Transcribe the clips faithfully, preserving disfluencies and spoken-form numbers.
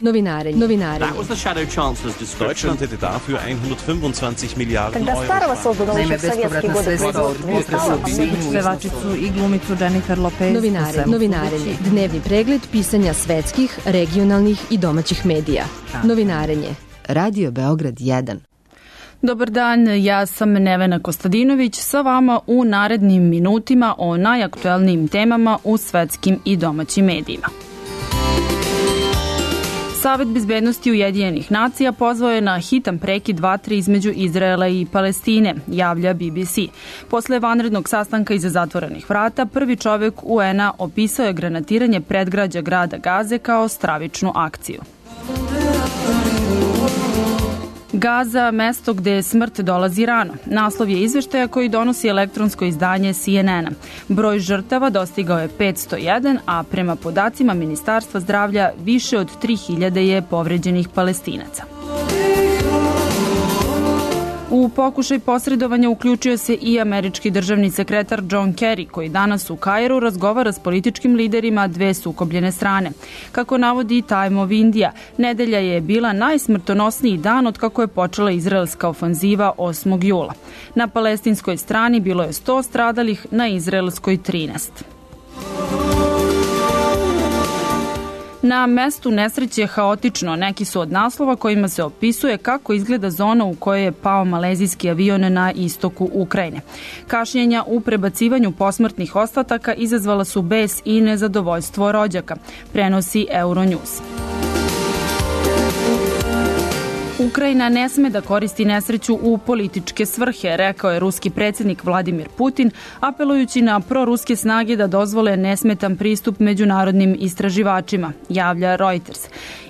Novinarenje. Novinarenje. Deutschland hätte dafür hundertfünfundzwanzig Milliarden Euro. Naime, bespovratna sredstva od potresa pevačicu i glumicu Jennifer Lopez. Novinarenje. Novinarenje. Dnevni pregled pisanja svetskih, regionalnih i domaćih medija. Novinarenje. Radio Beograd jedan. Dobar dan, ja sam Nevena Kostadinović sa vama u narednim minutima o najaktuelnijim temama u svetskim i domaćim medijima. Savet bezbednosti Ujedinjenih nacija pozvao je na hitan prekid vatre između Izraela i Palestine, javlja B B C. Posle vanrednog sastanka iza zatvorenih vrata, prvi čovek U N-a opisao je granatiranje predgrađa grada Gaze kao stravičnu akciju. Gaza, mesto gde smrt dolazi rano. Naslov je izveštaja koji donosi elektronsko izdanje C N N-a. Broj žrtava dostigao je petsto jedan, a prema podacima Ministarstva zdravlja više od tri hiljade je povređenih Palestinaca. U pokušaj posredovanja uključio se i američki državni sekretar John Kerry, koji danas u Kairu razgovara s političkim liderima dve sukobljene strane. Kako navodi Time of India, nedelja je bila najsmrtonosniji dan od kako je počela izraelska ofanziva osmog jula. Na palestinskoj strani bilo je sto stradalih, na izraelskoj trinaest. Na mestu nesreće haotično, neki su od naslova kojima se opisuje kako izgleda zona u kojoj je pao malezijski avion na istoku Ukrajine. Kašnjenja u prebacivanju posmrtnih ostataka izazvala su bes i nezadovoljstvo rođaka, prenosi Euronews. Ukrajina ne sme da koristi nesreću u političke svrhe, rekao je ruski predsjednik Vladimir Putin, apelujući na proruske snage da dozvole nesmetan pristup međunarodnim istraživačima, javlja Reuters.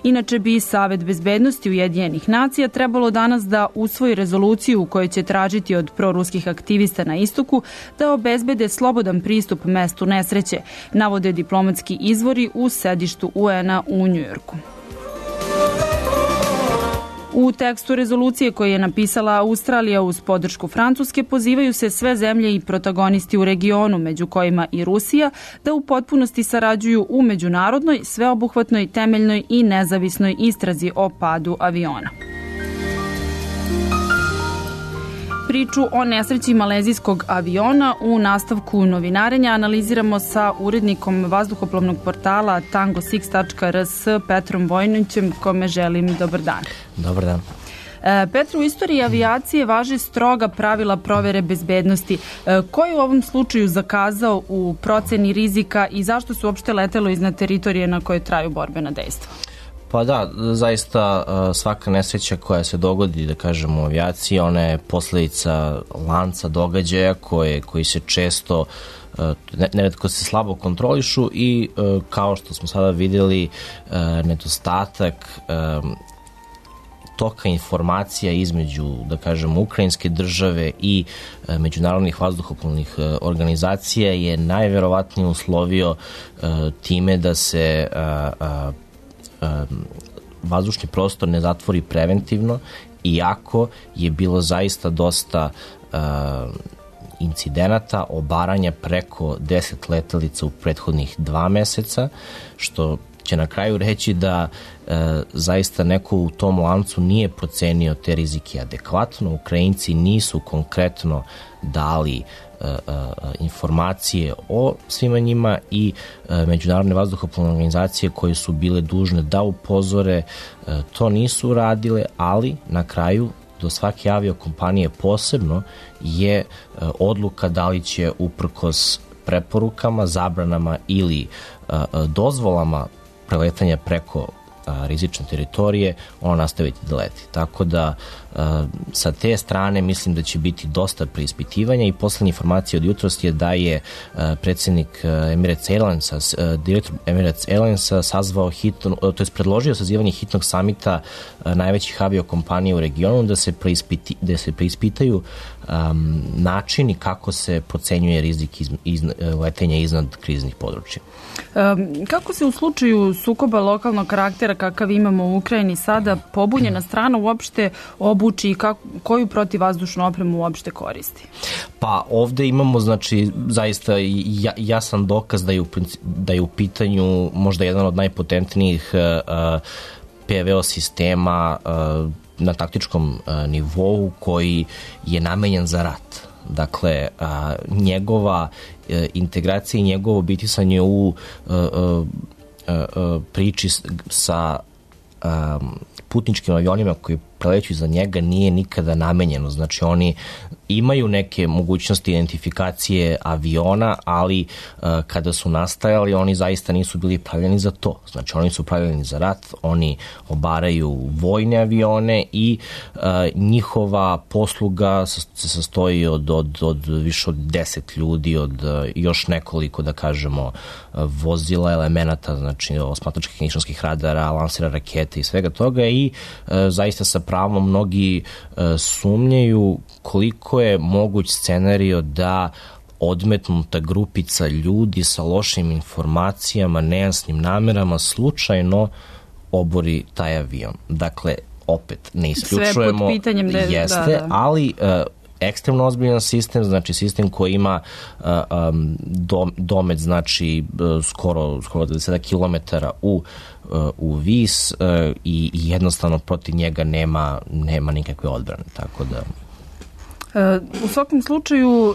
Inače bi Savet bezbednosti Ujedinjenih nacija trebalo danas da usvoji rezoluciju u kojoj će tražiti od proruskih aktivista na istoku da obezbede slobodan pristup mestu nesreće, navode diplomatski izvori u sedištu U N-a u Njujorku. U tekstu rezolucije koje je napisala Australija uz podršku Francuske pozivaju se sve zemlje i protagonisti u regionu, među kojima i Rusija, da u potpunosti sarađuju u međunarodnoj, sveobuhvatnoj, temeljnoj i nezavisnoj istrazi o padu aviona. Priču o nesreći malezijskog aviona u nastavku novinarenja analiziramo sa urednikom vazduhoplovnog portala tango six tačka r s Petrom Vojnićem, kome želim dobar dan. Dobar dan. Petru, u istoriji avijacije važe stroga pravila provere bezbednosti. Ko je u ovom slučaju zakazao u proceni rizika i zašto se uopšte letelo iznad teritorije na kojoj traju borbena dejstva? Pa da, zaista svaka nesreća koja se dogodi, da kažemo, u avijaciji, ona je posledica lanca događaja koje, koji se često, neretko se slabo kontrolišu i kao što smo sada videli, nedostatak toka informacija između, da kažemo, ukrajinske države i međunarodnih vazduhoplovnih organizacija je najverovatnije uslovio time da se vazdušni prostor ne zatvori preventivno, iako je bilo zaista dosta uh, incidenata, obaranja preko deset letelica u prethodnih dva meseca, što će na kraju reći da e, zaista neko u tom lancu nije procenio te rizike adekvatno. Ukrajinci nisu konkretno dali e, e, informacije o svima njima i e, međunarodne vazduhoplovne organizacije koje su bile dužne da upozore, e, to nisu uradile, ali na kraju do svake aviokompanije posebno je e, odluka da li će uprkos preporukama, zabranama ili a, a, dozvolama preletanja preko a, rizične teritorije, ono nastaviti da leti. Tako da a, sa te strane mislim da će biti dosta preispitivanja i poslednja informacija od jutros je da je a, predsjednik Emirates Airlinesa, a, direktor Emirates Airlinesa sazvao hitno, to je predložio sazivanje hitnog samita a, najvećih aviokompanija u regionu da se, preispiti, da se preispitaju um, načini kako se procenjuje rizik iz, iz, letenja iznad kriznih područja. Um, kako se u slučaju sukoba lokalnog karaktera kakav imamo u Ukrajini sada pobunjena strana uopšte obuči i kako, koju protivvazdušnu opremu uopšte koristi? Pa ovde imamo znači zaista jasan dokaz da je u, da je u pitanju možda jedan od najpotentnijih uh, P V O sistema na taktičkom nivou koji je namenjen za rat. Dakle, njegova integracija i njegovo bitisanje u priči sa putničkim avionima koji preleću iza njega nije nikada namenjeno. Znači, oni imaju neke mogućnosti identifikacije aviona, ali uh, kada su nastajali, oni zaista nisu bili pravljeni za to. Znači, oni su pravljeni za rat, oni obaraju vojne avione i uh, njihova posluga se sastoji od, od, od više od deset ljudi, od uh, još nekoliko, da kažemo, uh, vozila, elemenata, znači osmatračkih nišanskih radara, lansera rakete i svega toga i uh, zaista sa pravom mnogi uh, sumnjaju koliko je moguć scenario da odmetnuta grupica ljudi sa lošim informacijama, nejasnim namerama slučajno obori taj avion. Dakle, opet, ne isključujemo, sve pod pitanjem da, jeste, da, da. ali uh, ekstremno ozbiljan sistem, znači sistem koji ima uh, um, dom, domet, znači uh, skoro, skoro dvadeset kilometara u, uh, u vis uh, i, i jednostavno protiv njega nema, nema nikakve odbrane, tako da... U svakom slučaju,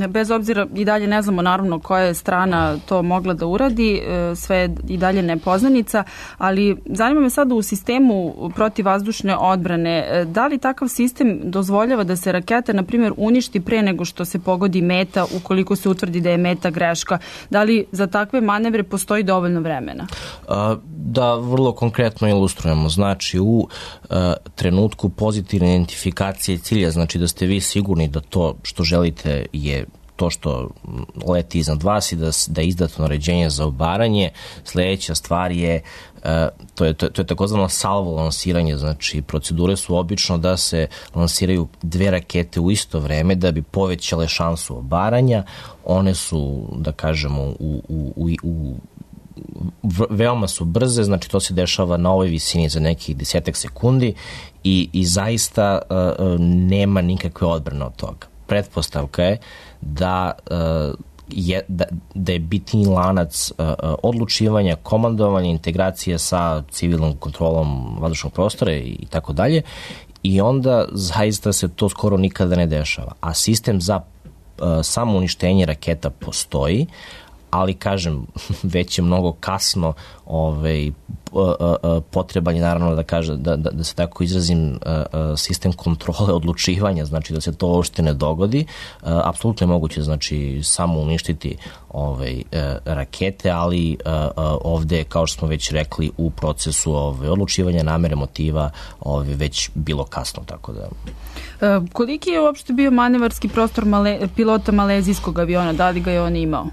bez obzira i dalje ne znamo naravno koja je strana to mogla da uradi, sve je i dalje nepoznanica, ali zanima me sada u sistemu protivvazdušne odbrane, da li takav sistem dozvoljava da se raketa, na primjer, uništi pre nego što se pogodi meta, ukoliko se utvrdi da je meta greška? Da li za takve manevre postoji dovoljno vremena? Da vrlo konkretno ilustrujemo. Znači, u trenutku pozitivne identifikacije cilja, znači da ste vi sigurni da to što želite je to što leti iznad vas i da, da je izdato naređenje za obaranje. Sledeća stvar je, uh, to je, to, to je takozvano salvo lansiranje, znači procedure su obično da se lansiraju dve rakete u isto vreme da bi povećale šansu obaranja. One su, da kažemo, u, u, u, u veoma su brze, znači to se dešava na ovoj visini za nekih desetak sekundi i, i zaista uh, nema nikakve odbrane od toga. Pretpostavka je da, uh, je, da, da je bitni lanac uh, odlučivanja, komandovanja, integracije sa civilnom kontrolom vazdušnog prostora i, i tako dalje i onda zaista se to skoro nikada ne dešava. A sistem za uh, samo uništenje raketa postoji, ali kažem, već je mnogo kasno ovaj, potreban je naravno da, kaže, da, da, da se tako izrazim sistem kontrole odlučivanja, znači da se to uopšte ne dogodi. Apsolutno je moguće znači, samo uništiti ovaj, rakete, ali ovde, kao što smo već rekli, u procesu ovaj, odlučivanja namere motiva ovaj, već bilo kasno, tako da... Koliki je uopšte bio manevarski prostor male, pilota malezijskog aviona? Da li ga je on imao?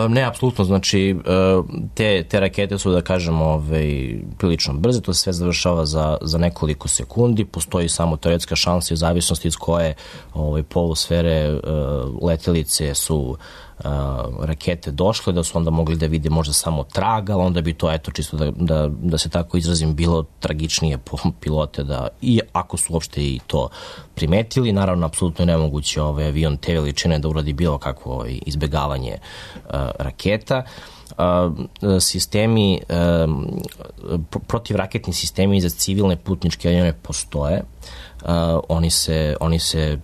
Ne, apsolutno, znači te, te rakete su, da kažemo, ovaj, prilično brze, to se sve završava za, za nekoliko sekundi, postoji samo teoretska šansa u zavisnosti iz koje ovaj, polusfere uh, letelice su uh, rakete došle, da su onda mogli da vide možda samo trag, ali onda bi to, eto, čisto da, da, da se tako izrazim, bilo tragičnije po pilote, da, i ako su uopšte i to primetili, naravno, apsolutno je nemoguće ovaj avion te veličine da uradi bilo kakvo ovaj, izbegavanje uh, raketa. Uh, sistemi, uh, protivraketni sistemi za civilne putničke avione postoje. Uh, oni se, oni se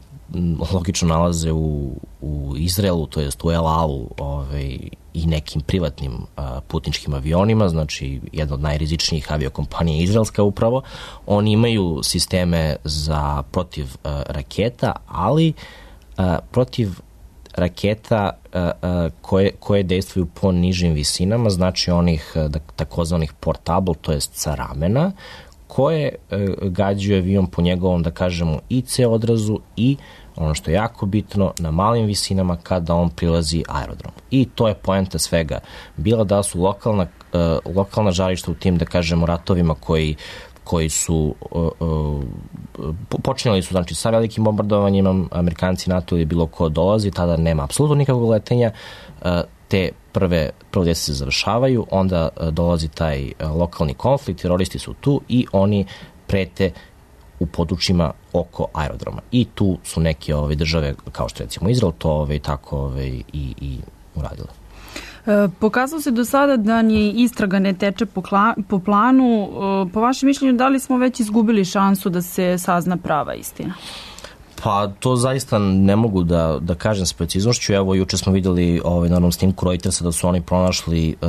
logično nalaze u, u Izraelu, to jest u El Alu ovaj, i nekim privatnim uh, putničkim avionima, znači jedna od najrizičnijih aviokompanija izraelska upravo. Oni imaju sisteme za protiv uh, raketa, ali uh, protiv raketa uh, uh, koje, koje dejstvuju po nižim visinama, znači onih uh, takozvanih portable, to jest sa ramena, koje uh, gađaju avion po njegovom, da kažemo, I C odrazu i ono što je jako bitno, na malim visinama kada on prilazi aerodromu. I to je poenta svega. Bila da su lokalna, uh, lokalna žarišta u tim, da kažemo, ratovima koji koji su uh, uh, počinjali su znači sa velikim bombardovanjima, Amerikanci, NATO ili bilo ko dolazi, tada nema apsolutno nikakvog letenja, uh, te prve prve se završavaju, onda uh, dolazi taj uh, lokalni konflikt, teroristi su tu i oni prete u područjima oko aerodroma. I tu su neke ove države, kao što recimo Izrael, to ove, tako ove, i, i uradile. Pokazalo se do sada da ni istraga ne teče po, kla, po planu. Po vašem mišljenju, da li smo već izgubili šansu da se sazna prava istina? Pa to zaista ne mogu da, da kažem s preciznošću. Evo, juče smo videli ovaj, na onom snimku Reutersa da su oni pronašli uh,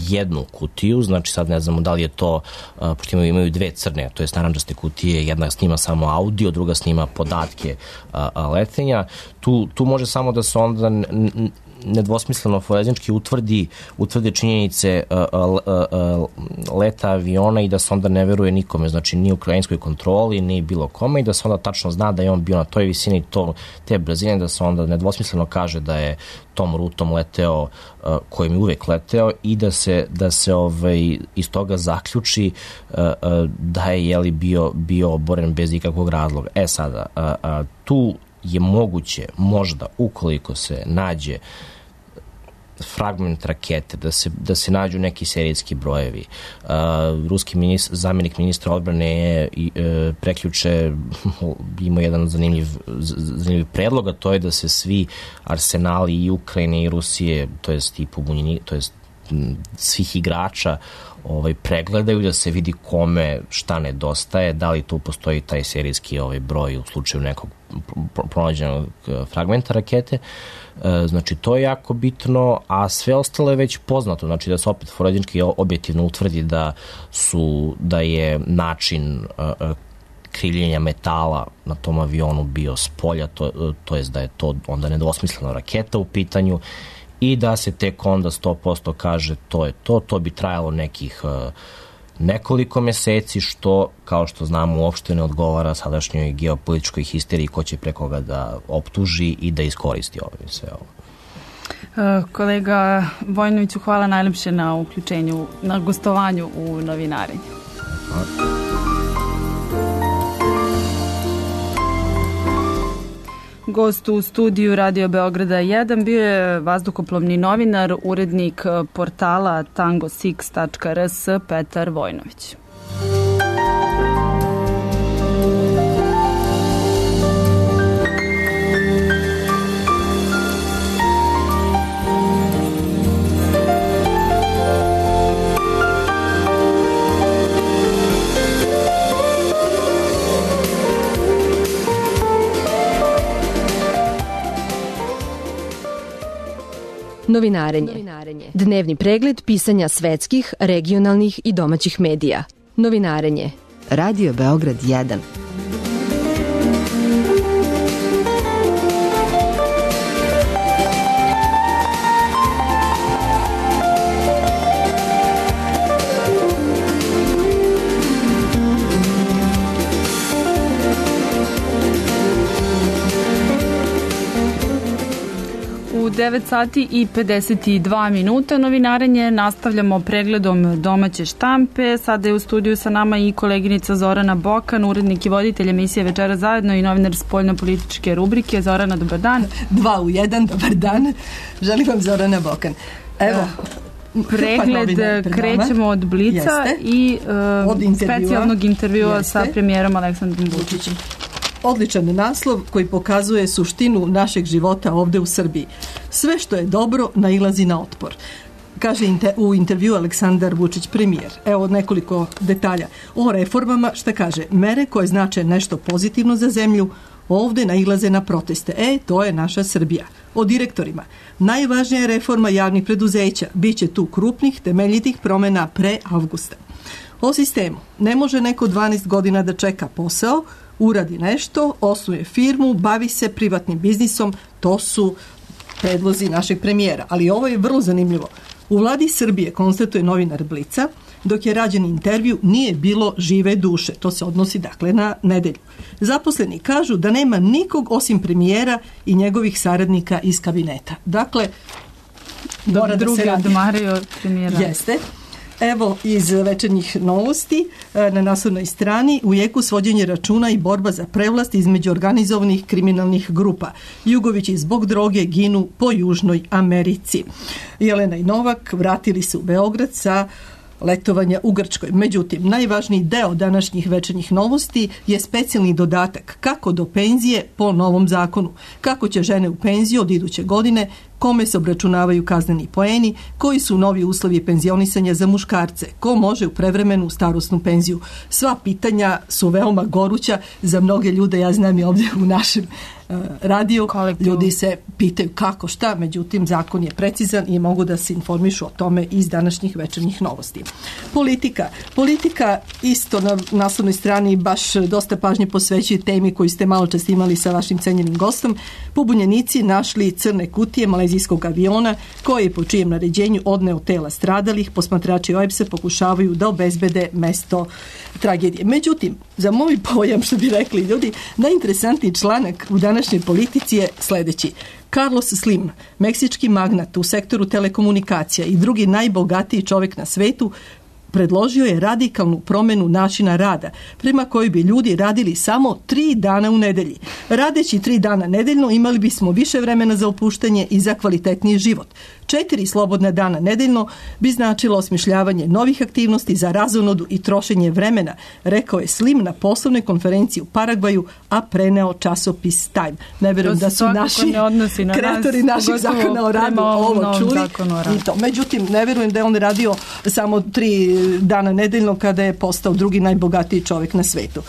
jednu kutiju, znači sad ne znamo da li je to, uh, pošto imaju, imaju dve crne, to je narančaste kutije, jedna snima samo audio, druga snima podatke uh, letenja. Tu, tu može samo da se onda n, n, nedvosmisleno forenzički utvrdi, utvrdi činjenice uh, uh, uh, leta aviona i da se onda ne veruje nikome, znači ni ukrajinskoj kontroli, ni bilo kome i da se onda tačno zna da je on bio na toj visini to, te brzine, da se onda nedvosmisleno kaže da je tom rutom leteo uh, kojim je uvek leteo i da se, da se ovaj, iz toga zaključi uh, uh, da je jeli, bio, bio oboren bez ikakvog razloga. E sada, uh, uh, tu je moguće, možda, ukoliko se nađe fragment rakete, da se, da se nađu neki serijski brojevi. Uh, ruski ministr, zamjenik ministra odbrane je uh, preključe imao jedan zanimljiv, zanimljiv predlog, a to je da se svi arsenali i Ukrajine i Rusije, to jest i pobunjeni, to jest svih igrača ovaj, pregledaju, da se vidi kome šta nedostaje, da li tu postoji taj serijski ovaj, broj u slučaju nekog pronađenog fragmenta rakete. E, znači, to je jako bitno, a sve ostalo je već poznato, znači da se opet forenzički objektivno utvrdi da su, da je način uh, kriljenja metala na tom avionu bio s polja, to, to jest da je to onda nedvosmislena raketa u pitanju i da se tek onda sto posto kaže to je to, to bi trajalo nekih uh, nekoliko meseci, što, kao što znamo, uopšte ne odgovara sadašnjoj geopolitičkoj histeriji ko će preko ga da optuži i da iskoristi ovo sve ovo. Uh, kolega Vojnoviću, hvala najlepše na uključenju, na gostovanju u Novinarenju. Hvala. Gost u studiju Radio Beograda jedan bio je vazduhoplovni novinar, urednik portala tango six tačka r s Petar Vojnović. Novinarenje. Dnevni pregled pisanja svetskih, regionalnih i domaćih medija. Novinarenje. Radio Beograd jedan. devet sati i pedeset dva minuta. Novinarenje nastavljamo pregledom domaće štampe. Sada je u studiju sa nama i koleginica Zorana Bokan, urednik i voditelj emisije Večera zajedno i novinar spoljno-političke rubrike. Zorana, dobar dan. Dva u jedan, dobar dan. Želim vam Zorana Bokan. Evo, pregled krećemo od Blica Jeste. i uh, od intervjua. specijalnog intervjua Jeste. sa premijerom Aleksandrom Vučićem. Odličan naslov koji pokazuje suštinu našeg života ovde u Srbiji. Sve što je dobro nailazi na otpor. Kaže u intervju Aleksandar Vučić, premijer. Evo nekoliko detalja. O reformama, šta kaže? Mere koje znače nešto pozitivno za zemlju, ovde nailaze na proteste. E, to je naša Srbija. O direktorima. Najvažnija je reforma javnih preduzeća. Biće tu krupnih, temeljitih promena pre avgusta. O sistemu. Ne može neko dvanaest godina da čeka posao, uradi nešto, osnuje firmu, bavi se privatnim biznisom, to su predlozi našeg premijera. Ali ovo je vrlo zanimljivo. U vladi Srbije, konstatuje novinar Blica, dok je rađen intervju, nije bilo žive duše. To se odnosi dakle na nedelju. Zaposleni kažu da nema nikog osim premijera i njegovih saradnika iz kabineta. Dakle, mora da se radi. Odmario premijera. Jeste. Evo iz večernjih novosti na naslovnoj strani u jeku svođenje računa i borba za prevlast između organizovanih kriminalnih grupa. Jugovići zbog droge ginu po Južnoj Americi. Jelena i Novak vratili se u Beograd sa letovanja u Grčkoj. Međutim, najvažniji deo današnjih večernjih novosti je specijalni dodatak kako do penzije po novom zakonu. Kako će žene u penziju od iduće godine kome se obračunavaju kazneni poeni, koji su novi uslovi penzionisanja za muškarce, ko može u prevremenu starosnu penziju. Sva pitanja su veoma goruća za mnoge ljude, ja znam i ovdje u našem radiju. Kolektiv. Ljudi se pitaju kako šta, međutim zakon je precizan i mogu da se informišu o tome iz današnjih večernjih novosti. Politika. Politika isto na naslovnoj strani baš dosta pažnje posvećuje temi koju ste malo čas imali sa vašim cenjenim gostom. Pobunjenici našli crne kutije malezijskog aviona koji je po čijem naređenju odneo tela stradalih. Posmatrači O E B S-a pokušavaju da obezbede mesto tragedije. Međutim, za moj pojam, što bi rekli ljudi, najinteresantniji članak u današnjoj politici je sljedeći. Carlos Slim, meksički magnat u sektoru telekomunikacija i drugi najbogatiji čovjek na svetu, predložio je radikalnu promjenu načina rada, prema kojoj bi ljudi radili samo tri dana u nedelji. Radeći tri dana nedeljno imali bismo više vremena za opuštanje i za kvalitetniji život. Četiri slobodna dana nedeljno bi značilo osmišljavanje novih aktivnosti za razonodu i trošenje vremena, rekao je Slim na poslovnoj konferenciji u Paragvaju, a preneo časopis Time. Ne vjerujem da su naši na kreatori nas, naših zakona o radu ovo čuli. I to. Međutim, ne vjerujem da je on radio samo tri dana nedeljno kada je postao drugi najbogatiji čovjek na svetu.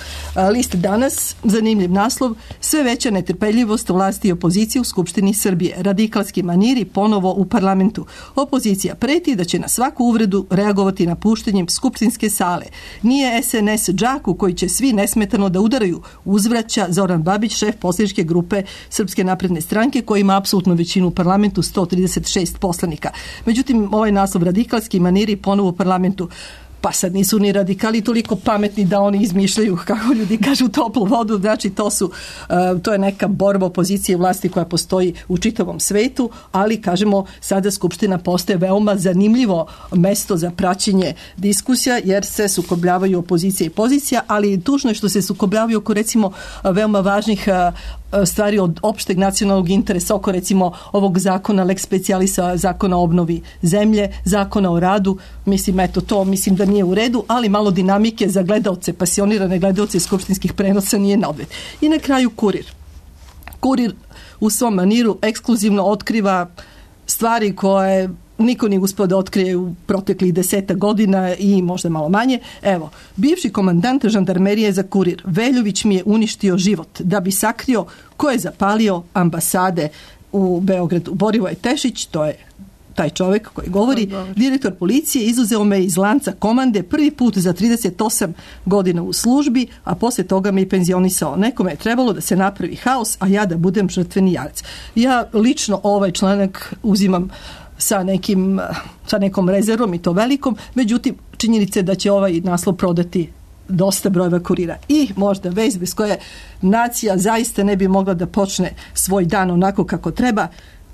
List danas, zanimljiv naslov, sve veća netrpeljivost vlasti i opozicije u Skupštini Srbije. Radikalski maniri ponovo u parlamentu. Opozicija preti da će na svaku uvredu reagovati napuštanjem skupštinske sale. Nije S N S džak u koji će svi nesmetano da udaraju, uzvraća Zoran Babić, šef poslaničke grupe Srpske napredne stranke, koji ima apsolutnu većinu u parlamentu, sto trideset šest poslanika. Međutim, ovaj naslov radikalski maniri ponovo u parlamentu. Pa sad nisu ni radikali toliko pametni da oni izmišljaju, kako ljudi kažu, toplu vodu. Znači to su, uh, to je neka borba opozicije vlasti koja postoji u čitavom svetu, ali kažemo sada Skupština postaje veoma zanimljivo mesto za praćenje diskusija, jer se sukobljavaju opozicija i pozicija, ali tužno je što se sukobljavaju oko recimo veoma važnih uh, stvari od opšteg nacionalnog interesa, oko recimo ovog zakona lex specialisa, zakona o obnovi zemlje, zakona o radu. Mislim, eto to mislim da nije u redu, ali malo dinamike za gledaoce, pasionirane gledaoce skupštinskih prenosa nije na odmet. I na kraju Kurir. Kurir u svom maniru ekskluzivno otkriva stvari koje niko nije uspio da otkrije u proteklih deseta godina i možda malo manje. Evo, bivši komandant žandarmerije za Kurir, Veljović mi je uništio život da bi sakrio ko je zapalio ambasade u Beogradu. Borivoje Tešić, to je taj čovjek koji govori, direktor policije, izuzeo me iz lanca komande prvi put za trideset osam godina u službi, a poslije toga me i penzionisao. Nekome je trebalo da se napravi haos, a ja da budem žrtveni jarac. Ja lično ovaj članak uzimam sa nekim, sa nekom rezervom i to velikom, međutim činjenica je da će ovaj naslov prodati dosta brojeva Kurira. I možda vez bez koje nacija zaista ne bi mogla da počne svoj dan onako kako treba.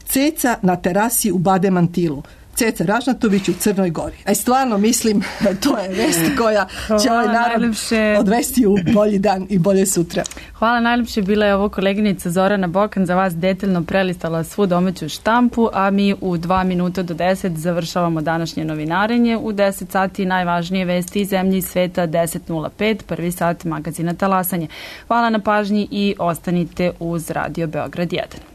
Ceca na terasi u Bademantilu. Ceca Ražnatović u Crnoj Gori. A stvarno mislim, to je vest koja će ovaj narod najljepše odvesti u bolji dan i bolje sutra. Hvala najljepše. Bila je ovo koleginica Zorana Bokan za vas detaljno prelistala svu domaću štampu, a mi u dva minuta do deset završavamo današnje novinarenje. U deset sati najvažnije vesti iz zemlje i sveta, deset nula pet, prvi sat magazina Talasanje. Hvala na pažnji i ostanite uz Radio Beograd jedan.